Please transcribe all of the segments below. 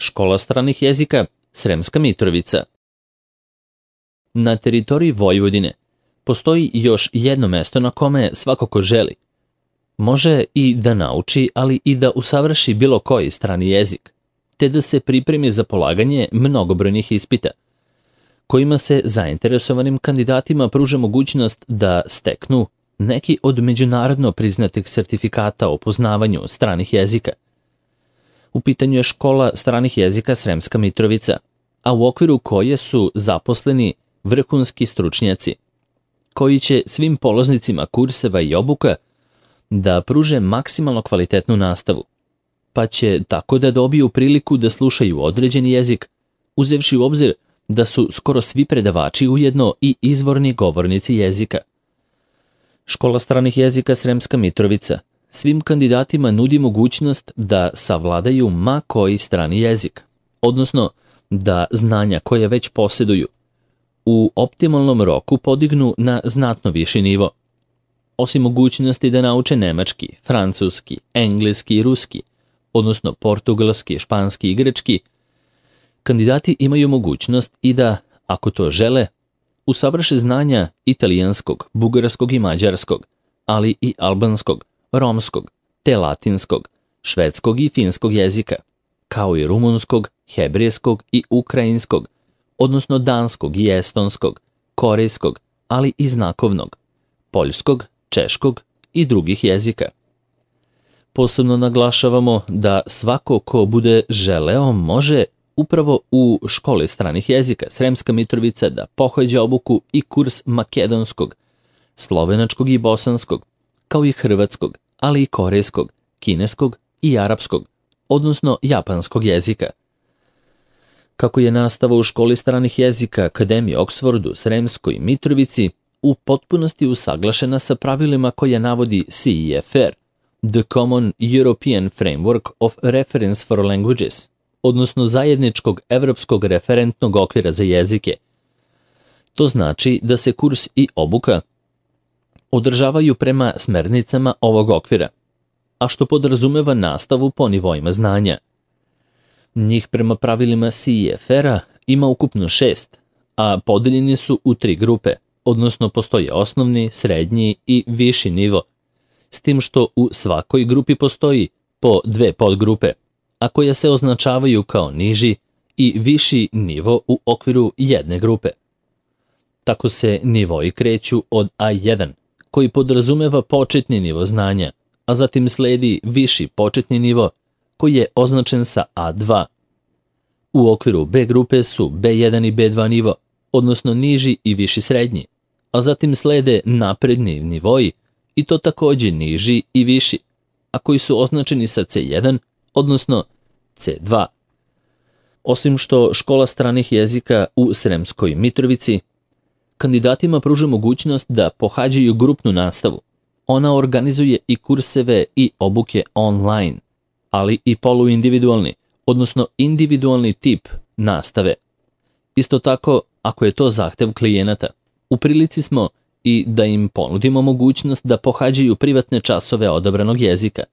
Škola stranih jezika Sremska Mitrovica. Na teritoriji Vojvodine postoji još jedno mesto na kome svako ko želi može i da nauči, ali i da usavrši bilo koji strani jezik, te da se pripremi za polaganje mnogobrojnih ispita, kojima se zainteresovanim kandidatima pruža mogućnost da steknu neki od međunarodno priznatih sertifikata o poznavanju stranih jezika. U pitanju je škola stranih jezika Sremska Mitrovica, a u okviru koje su zaposleni vrhunski stručnjaci, koji će svim polaznicima kurseva i obuka da pruže maksimalno kvalitetnu nastavu, pa će tako da dobiju priliku da slušaju određeni jezik, uzevši u obzir da su skoro svi predavači ujedno i izvorni govornici jezika. Škola stranih jezika Sremska Mitrovica svim kandidatima nudi mogućnost da savladaju ma koji strani jezik, odnosno da znanja koje već posjeduju u optimalnom roku podignu na znatno viši nivo. Osim mogućnosti da nauče nemački, francuski, engleski i ruski, odnosno portugalski, španski i grčki, kandidati imaju mogućnost i da, ako to žele, usavrše znanja italijanskog, bugarskog i mađarskog, ali i albanskog, romskog, te latinskog, švedskog i finskog jezika, kao i rumunskog, hebrejskog i ukrajinskog, odnosno danskog i estonskog, korejskog, ali i znakovnog, poljskog, češkog i drugih jezika. Posebno naglašavamo da svako ko bude želeo može upravo u školi stranih jezika Sremska Mitrovica da pohađa obuku i kurs makedonskog, slovenačkog i bosanskog, kao i hrvatskog, ali i korejskog, kineskog i arapskog, odnosno japanskog jezika. Kako je nastava u školi stranih jezika Akademije Oxfordu Sremskoj Mitrovici u potpunosti usaglašena sa pravilima koje navodi CEFR, The Common European Framework of Reference for Languages, odnosno zajedničkog evropskog referentnog okvira za jezike. To znači da se kurs i obuka održavaju prema smernicama ovog okvira, a što podrazumeva nastavu po nivoima znanja. Njih prema pravilima CEFR-a ima ukupno 6, a podeljeni su u 3 grupe, odnosno postoji osnovni, srednji i viši nivo, s tim što u svakoj grupi postoji po 2 podgrupe, a koje se označavaju kao niži i viši nivo u okviru jedne grupe. Tako se nivoi kreću od A1, koji podrazumeva početni nivo znanja, a zatim sledi viši početni nivo, koji je označen sa A2. U okviru B grupe su B1 i B2 nivo, odnosno niži i viši srednji, a zatim slede napredni nivoi, i to također niži i viši, a koji su označeni sa C1, odnosno C2. Osim što škola stranih jezika u Sremskoj Mitrovici kandidatima pruža mogućnost da pohađaju grupnu nastavu. Ona organizuje i kurseve i obuke online, ali i poluindividualni, odnosno individualni tip nastave. Isto tako, ako je to zahtev klijenata, u prilici smo i da im ponudimo mogućnost da pohađaju privatne časove odabranog jezika.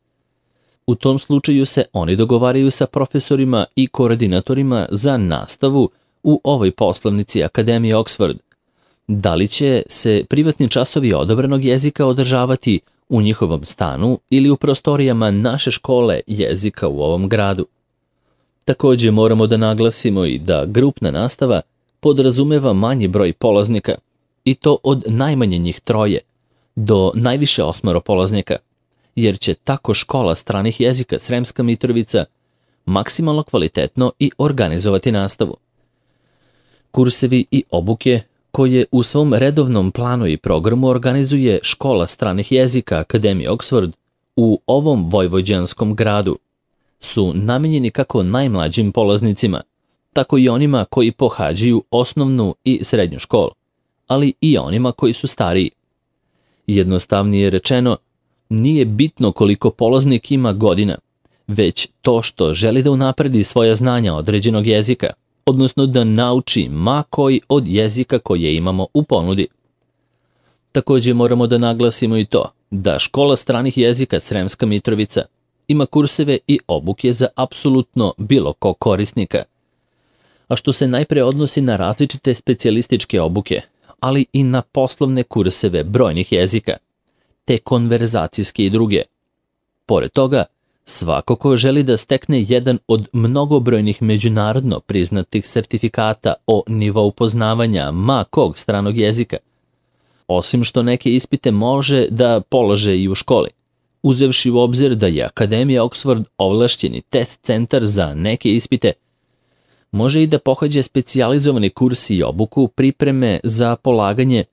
U tom slučaju se oni dogovaraju sa profesorima i koordinatorima za nastavu u ovoj poslovnici Akademije Oxford. Da li će se privatni časovi odabranog jezika održavati u njihovom stanu ili u prostorijama naše škole jezika u ovom gradu. Također moramo da naglasimo i da grupna nastava podrazumeva manji broj polaznika, i to od najmanje njih 3 do najviše 8 polaznika, jer će tako škola stranih jezika Sremska Mitrovica maksimalno kvalitetno i organizovati nastavu. Kursevi i obuke koje u svom redovnom planu i programu organizuje škola stranih jezika Akademije Oxford u ovom vojvođanskom gradu su namijenjeni kako najmlađim polaznicima, tako i onima koji pohađaju osnovnu i srednju školu, ali i onima koji su stariji. Jednostavnije rečeno, nije bitno koliko polaznik ima godina, već to što želi da unapredi svoja znanja određenog jezika, odnosno da nauči ma koji od jezika koje imamo u ponudi. Također moramo da naglasimo i to da škola stranih jezika Sremska Mitrovica ima kurseve i obuke za apsolutno bilo kog korisnika, a što se najpre odnosi na različite specijalističke obuke, ali i na poslovne kurseve brojnih jezika, te konverzacijske i druge. Pored toga, svako ko želi da stekne jedan od mnogobrojnih međunarodno priznatih sertifikata o nivou poznavanja ma kog stranog jezika, osim što neke ispite može da polože i u školi, uzevši u obzir da je Akademija Oxford ovlašćeni test centar za neke ispite, može i da pohađa specijalizovani kurs i obuku pripreme za polaganje,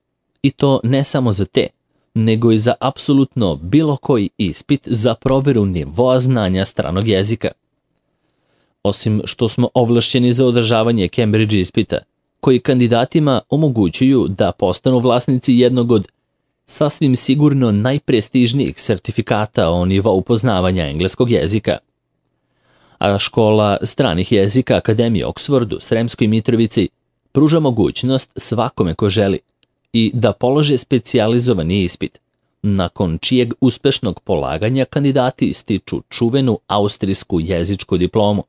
i to ne samo za te, nego i za apsolutno bilo koji ispit za proveru nivoa znanja stranog jezika. Osim što smo ovlašćeni za održavanje Cambridge ispita, koji kandidatima omogućuju da postanu vlasnici jednog od sasvim sigurno najprestižnijih sertifikata o nivou poznavanja engleskog jezika. A škola stranih jezika Akademije Oxford u Sremskoj Mitrovici pruža mogućnost svakome ko želi i da polože specijalizovani ispit, nakon čijeg uspešnog polaganja kandidati stiču čuvenu austrijsku jezičku diplomu.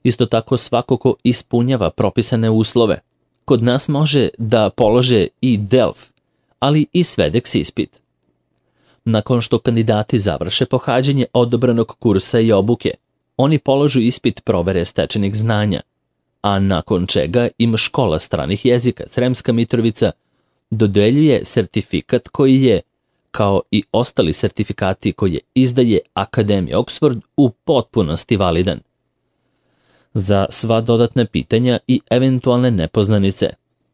Isto tako svako ko ispunjava propisane uslove, kod nas može da polože i DELF, ali i SVEDEX ispit. Nakon što kandidati završe pohađanje odobranog kursa i obuke, oni polažu ispit provere stečenih znanja, a nakon čega im škola stranih jezika Sremska Mitrovica dodeljuje sertifikat koji je, kao i ostali sertifikati koje izdaje Akademija Oxford, u potpunosti validan. Za sva dodatna pitanja i eventualne nepoznanice,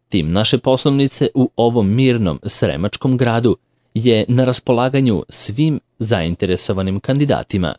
tim naše poslovnice u ovom mirnom sremačkom gradu je na raspolaganju svim zainteresovanim kandidatima.